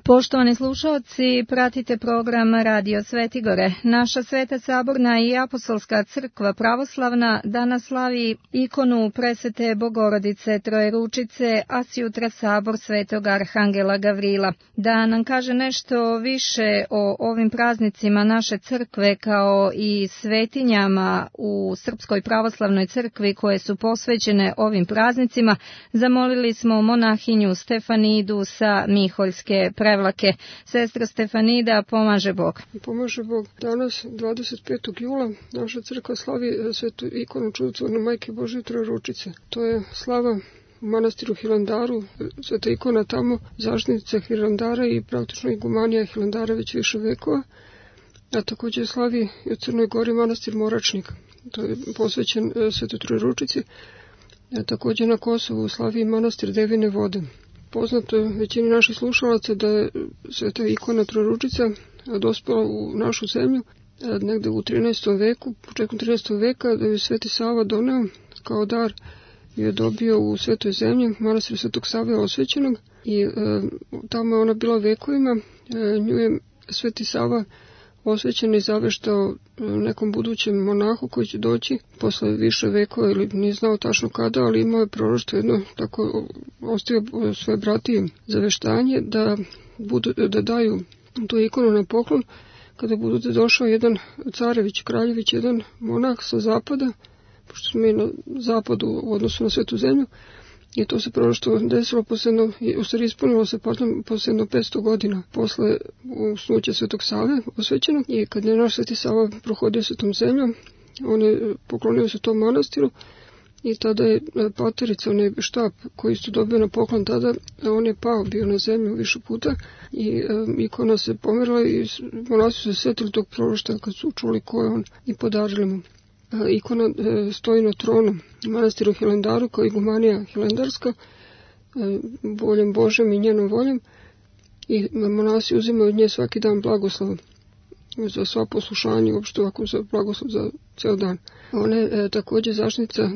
Poštovani slušalci, pratite program Radio Svetigore. Naša Sveta Saborna i Apostolska crkva pravoslavna danas slavi ikonu presvete Bogorodice Trojeručice, a sjutra sabor Svetog Arhangela Gavrila. Da nam kaže nešto više o ovim praznicima naše crkve kao i svetinjama u Srpskoj pravoslavnoj crkvi koje su posvećene ovim praznicima, zamolili smo monahinju Stefanidu sa Miholjske Prevlake. Sestra Stefanida, pomaže Bog. Pomaže Bog. Danas, 25. jula, naša crkva slavi svetu ikonu čudotvorne Majke Božje Trojeručice. To je slava u manastiru Hilandaru, sveta ikona tamo, zaštitnica Hilandara i praktično igumanija Hilandara već više vekova, a također slavi i u Crnoj Gori manastir Moračnik. To je posvećen svetoj Trojeručici. Također na Kosovu slavi manastir Devine vode. Poznato je većini naših slušalaca da je sveta ikona Trojeručica dospela u našu zemlju negde u 13. veku, početkom 13. veka, da je Sveti Sava doneo kao dar i je dobio u Svetoj zemlji manastir Svetog Save osvećenog i tamo je ona bila vekovima. Nju je Sveti Sava osvećen i zaveštao nekom budućem monahu koji će doći posle više vekova ili nije znao tačno kada, ali imao je proroštvo jedno, tako ostavio svoje bratije zaveštanje da daju tu ikonu na poklon kada bude došao jedan carević, kraljević, jedan monah sa zapada, pošto smo mi na zapadu u odnosu na Svetu zemlju, i to se proroštvo desilo ispunilo se posle 500 godina posle usnuća Svetog Save osvećenog, i kad je naš Sveti Sava prohodio Svetom zemljom, on je poklonio se tom manastiru i tada je paterica, onaj štap koji su dobio na poklon tada, on je pao bio na zemlju više puta i ikona se pomerila i monasi su se sjetili tog proroštva kad su čuli ko je on i podarili mu. Ikona stoji na tronu manastiru Hilandaru kao igumanija hilandarska, voljom Božem i njenom voljom, i monasi uzimaju od nje svaki dan blagoslov za sva poslušanja, uopšte ovako za blagoslov za ceo dan. Ona je također zaštitnica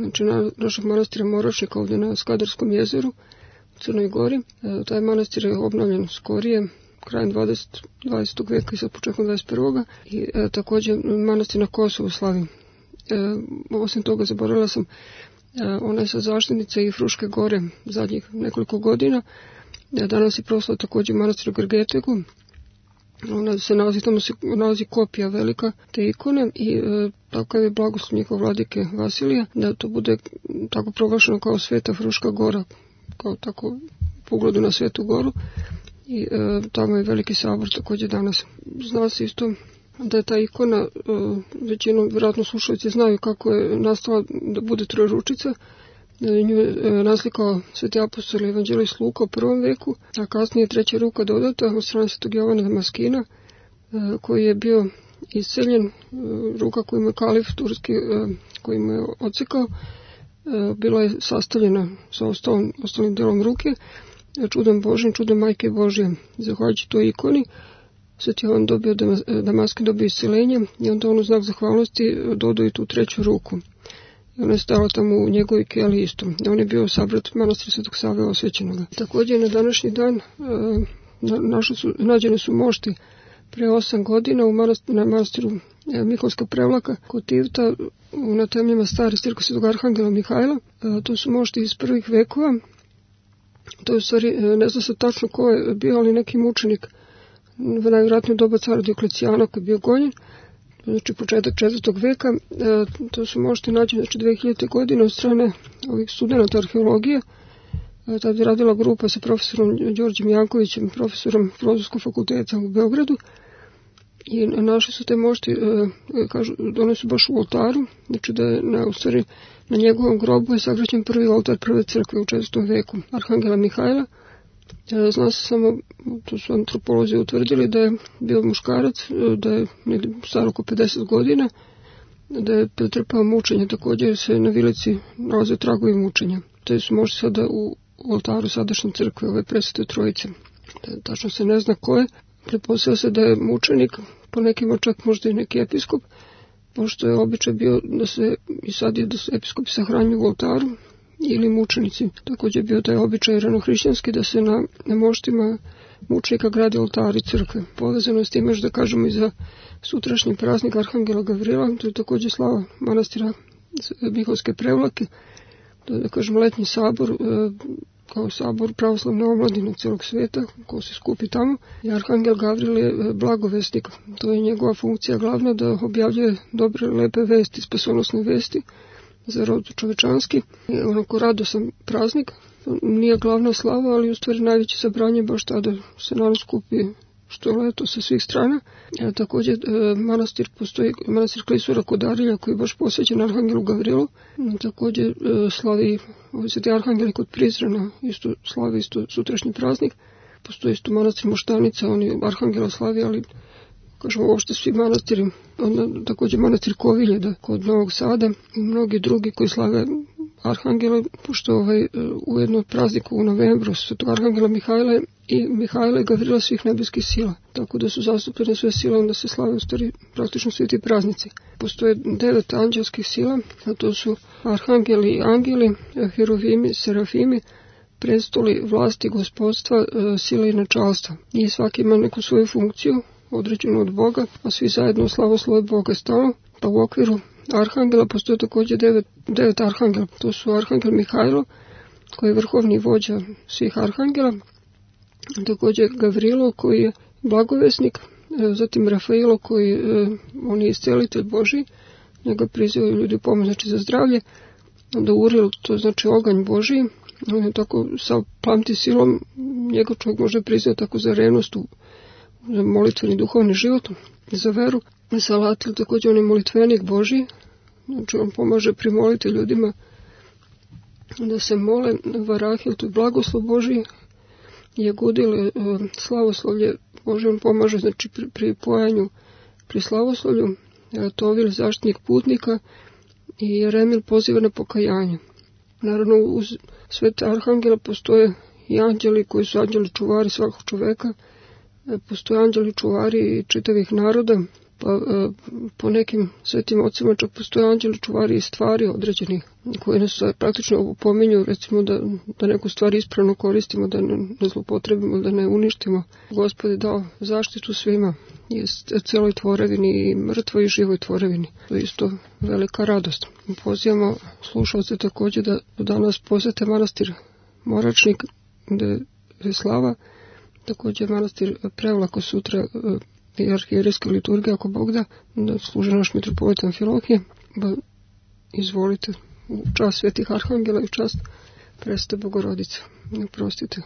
našeg manastira Moračnika ovdje na Skadarskom jezeru u Crnoj Gori. Taj manastir je obnovljen skorije, krajem 20. veka i sa početkom 21. I također manastir na Kosovu slavi. Osim toga, zaboravila sam, ona je sa zaštitnica i Fruške gore zadnjih nekoliko godina. Danas je proslava također manastir u Grgetegu. Ona se nalazi, tamo se nalazi kopija velika te ikone i takav je blagoslov njihov vladike Vasilija, da to bude tako proglašeno kao Sveta Fruška gora, kao tako po ugledu na Svetu goru, i tamo je veliki sabor također danas. Zna se isto da je ta ikona, većinom vjerojatno slušalci znaju kako je nastala da bude Trojeručica. Nju je naslikao Sveti apostol evanđelist Luka u 1. veku, a kasnije treća ruka dodata od strane Svetog Jovana Damaskina, koji je bio isceljen, ruka koju mu je kalif turski, koji mu je odsekao, bila je sastavljena sa ostalim delom ruke, čudom Božim, čudom Majke Božje. Zahvaljujući toj ikoni, Sveti Jovan Damaskin dobio isceljenje i onda on u znak zahvalnosti dodao i tu treću ruku. I ona je stala tamo u njegovoj keli isto. On je bio sabrat manastira Svetog Save osvećenog. Također na današnji dan nađene su mošti pre 8 godina na manastiru Miholjska Prevlaka kod Tivta na temeljima stare cirkve Svetog Arhangela Mihajla. To su mošti iz prvih vekova. To je u stvari, ne zna se tačno ko je bio, ali neki mučenik najvjerojatnije doba cara Dioklecijana koji je bio gonjen, znači početak 4. veka. To su možete naći 2000. godine od strane ovih studenata arheologije. Tada je radila grupa sa profesorom Đorđem Jankovićem, profesorom Filozofskog fakulteta u Beogradu, i našli su te mošti, kažu, one su baš u oltaru, znači da je na njegovom grobu je sagrađen prvi oltar prve crkve u 4. veku Arhangela Mihajla. Zna se samo, to su antropolozi utvrdili, da je bio muškarac, da je star oko 50 godina, da je pretrpao mučenje, također se na vilici nalaze tragovi mučenja. Te su možda sada u oltaru sadašnje crkve ove presvete trojice. Tačno se ne zna ko je, pretpostavlja se da je mučenik, po nekima čak možda i neki episkop, pošto je običaj bio da se, i sad je da se episkopi sahranjuju u oltaru, ili mučenici. Također bio taj običaj ranohrišćanski da se na moštima mučenika gradi oltari crkve. Povezano s tim još da kažemo i za sutrašnji praznik Arhangela Gavrila, to je također slava manastira Mihovske Prevlake, to je da kažemo letnji sabor, kao sabor pravoslavne omladine cijelog svijeta, ko se skupi tamo. I Arhangel Gavril je blagovesnik, to je njegova funkcija glavna da objavljuje dobre, lepe vesti, spasonosne vesti za rod čovečanski. Onako radosan praznik, nije glavna slava, ali u stvari najveće sabranje baš tada se naravno skupi što je leto sa svih strana. Također manastir Klisura kod Arilja koji je baš posvećen Arhangelu Gavrilu. Također slavi Sveti Arhangeli kod Prizrena, isto slavi isto sutrašnji praznik. Postoji isto manastir Moštanica, oni Arhangela slavi, ali kažemo uopšte svi manastiri. Onda također manastir Kovilje kod Novog Sada i mnogi drugi koji slave Arhangele, pošto ujedno od praznika u novembru Svetog Arhangela Mihajla i Mihajla i Gavrila svih nebeskih sila. Tako da su zastupljene sve sile, onda se slave u stvari praktično svi ti praznici. Postoje 9 anđelskih sila, a to su arhangeli i angeli, herovimi, serafimi, prestoli, vlasti, gospodstva, sile i načalstva. I svaki ima neku svoju funkciju, određenu od Boga, a svi zajedno slavoslove Boga stalno. Pa u okviru arhangela postoje također 9 arhangela. To su arhangel Mihajlo, koji je vrhovni vođa svih arhangela, također Gavrilo, koji je blagovesnik, zatim Rafailo, koji on je iscelitelj Božji, njega prizivaju ljudi pomoć, znači za zdravlje, onda Uril, to znači oganj Božji, on je tako sa plamti silom, njega čovjek može prizivati tako za revnost, za molitveni duhovni život, za veru. Salatil, također on je molitvenik Božji, znači on pomaže primoliti ljudima da se mole. Varahil, to je blagoslov Božji, Jegudil, slavoslovlje Božje, on pomaže znači pri pojanju, pri slavoslovlju. Tovil, zaštitnik putnika i Jeremil poziva na pokajanje. Naravno uz svete arhangela postoje i anđeli koji su anđeli čuvari svakog čoveka, postoje anđeli čuvari i čitavih naroda, pa po nekim svetim ocima čak postoje anđeli čuvari i stvari određenih koje nas praktično opominju, recimo da neku stvar ispravno koristimo, da ne zlopotrebimo, da ne uništimo. Gospod je dao zaštitu svima, je celoj tvorevini, i mrtvoj i živoj tvorevini. To je isto velika radost. Pozivamo slušalce također da danas posete manastir Moračnik, gde je slava, također manastir Prevlako sutra i arhijerejska liturgija, ako Bog da služi naš mitropolitan Amfilohije. Izvolite u čast svetih arhangela i u čast Presvete Bogorodice. Oprostite.